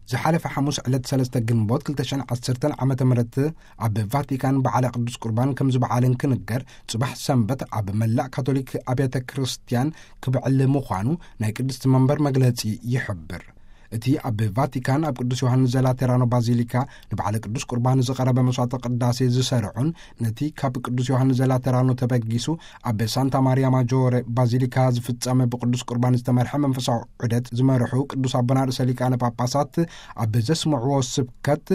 ዝሓለፈ ሓሙስ ዕለት ሰለስተ ግንቦት ክልተ ሽሕን ዓሰርተን ዓመተ ምህረት ኣብ ቫቲካን በዓለ ቅዱስ ቁርባን ከም ዝበዓልን ክንገር፣ ጽባሕ ሰንበት ኣብ መላእ ካቶሊክ ኣብያተ ክርስቲያን ክብዕል ምዃኑ ናይ ቅድስቲ መንበር መግለጺ ይሕብር። እቲ ኣብ ቫቲካን ኣብ ቅዱስ ዮሃንስ ዘላቴራኖ ባዚሊካ ንበዓለ ቅዱስ ቁርባን ዝቐረበ መስዋዕተ ቅዳሴ ዝሰርዑን ነቲ ካብ ቅዱስ ዮሃንስ ዘላቴራኖ ተበጊሱ ኣብ ሳንታ ማሪያ ማጆረ ባዚሊካ ዝፍጸመ ብቅዱስ ቁርባን ዝተመርሐ መንፈሳዊ ዑደት ዝመርሑ ቅዱስ ኣቦና ርእሰ ሊቃነ ጳጳሳት ኣብ ዘስምዕዎ ስብከት፣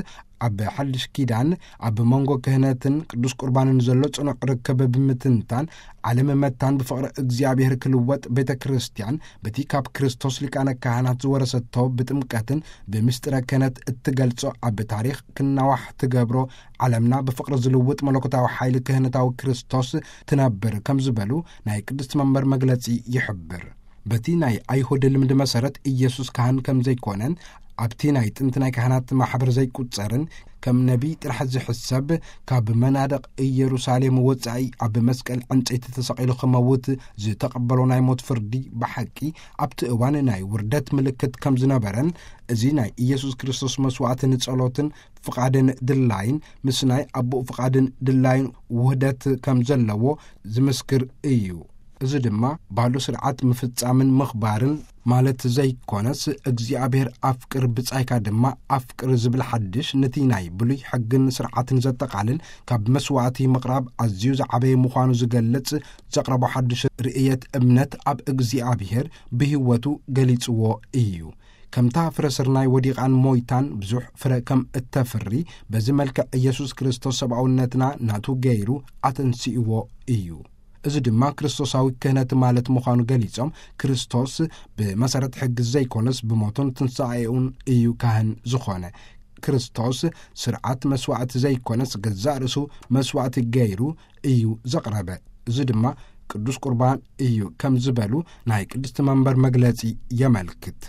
ኣብ ሓድሽ ኪዳን ኣብ መንጎ ክህነትን ቅዱስ ቁርባንን ዘሎ ጽኑዕ ርክብ ብምትንታን፣ ዓለም መታን ብፍቕሪ እግዚኣብሔር ክልወጥ፣ ቤተ ክርስቲያን በቲ ካብ ክርስቶስ ሊቃነ ካህናት ዝወረሰቶ ብጥምቀትን ብምስጢረ ክህነት እትገልጾ ኣብ ታሪኽ ክናዋሕ ትገብሮ፣ ዓለምና ብፍቕሪ ዝልውጥ መለኮታዊ ሓይሊ ክህነታዊ ክርስቶስ ትነብር ከም ዝበሉ ናይ ቅድስቲ መንበር መግለጺ ይሕብር። በቲ ናይ ኣይሁድ ልምዲ መሰረት ኢየሱስ ካህን ከም ዘይኮነን ኣብቲ ናይ ጥንቲ ናይ ካህናት ማሕበር ዘይቁጸርን ከም ነቢይ ጥራሕ ዝሕሰብ፣ ካብ መናድቕ ኢየሩሳሌም ወጻኢ ኣብ መስቀል ዕንጨይቲ ተሰቒሉ ክመውት ዝተቐበሎ ናይ ሞት ፍርዲ ብሓቂ ኣብቲ እዋን ናይ ውርደት ምልክት ከም ዝነበረን፣ እዚ ናይ ኢየሱስ ክርስቶስ መስዋዕቲ ንጸሎትን ፍቓድን ድላይን ምስ ናይ ኣቦኡ ፍቓድን ድላይን ውህደት ከም ዘለዎ ዝምስክር እዩ። እዚ ድማ ባሉ ስርዓት ምፍጻምን ምኽባርን ማለት ዘይኮነስ፣ እግዚኣብሔር ኣፍቅር ብጻይካ ድማ ኣፍቅር ዝብል ሓድሽ፣ ነቲ ናይ ብሉይ ሕግን ስርዓትን ዘጠቓልል፣ ካብ መስዋዕቲ ምቕራብ ኣዝዩ ዝዓበየ ምዃኑ ዝገልጽ ዘቕረቦ ሓድሽ ርእየት እምነት ኣብ እግዚኣብሔር ብህይወቱ ገሊጽዎ እዩ። ከምታ ፍረ ስርናይ ወዲቓን ሞይታን ብዙሕ ፍረ ከም እተፍሪ፣ በዚ መልክዕ ኢየሱስ ክርስቶስ ሰብኣውነትና ናቱ ገይሩ ኣተንሲእዎ እዩ። እዚ ድማ ክርስቶሳዊ ክህነት ማለት ምዃኑ ገሊጾም፣ ክርስቶስ ብመሰረት ሕጊ ዘይኮነስ ብሞቱን ትንሳኤኡን እዩ ካህን ዝኾነ። ክርስቶስ ስርዓት መስዋዕቲ ዘይኮነስ ገዛእ ርእሱ መስዋዕቲ ገይሩ እዩ ዘቕረበ። እዚ ድማ ቅዱስ ቁርባን እዩ ከም ዝበሉ ናይ ቅድስቲ መንበር መግለጺ የመልክት።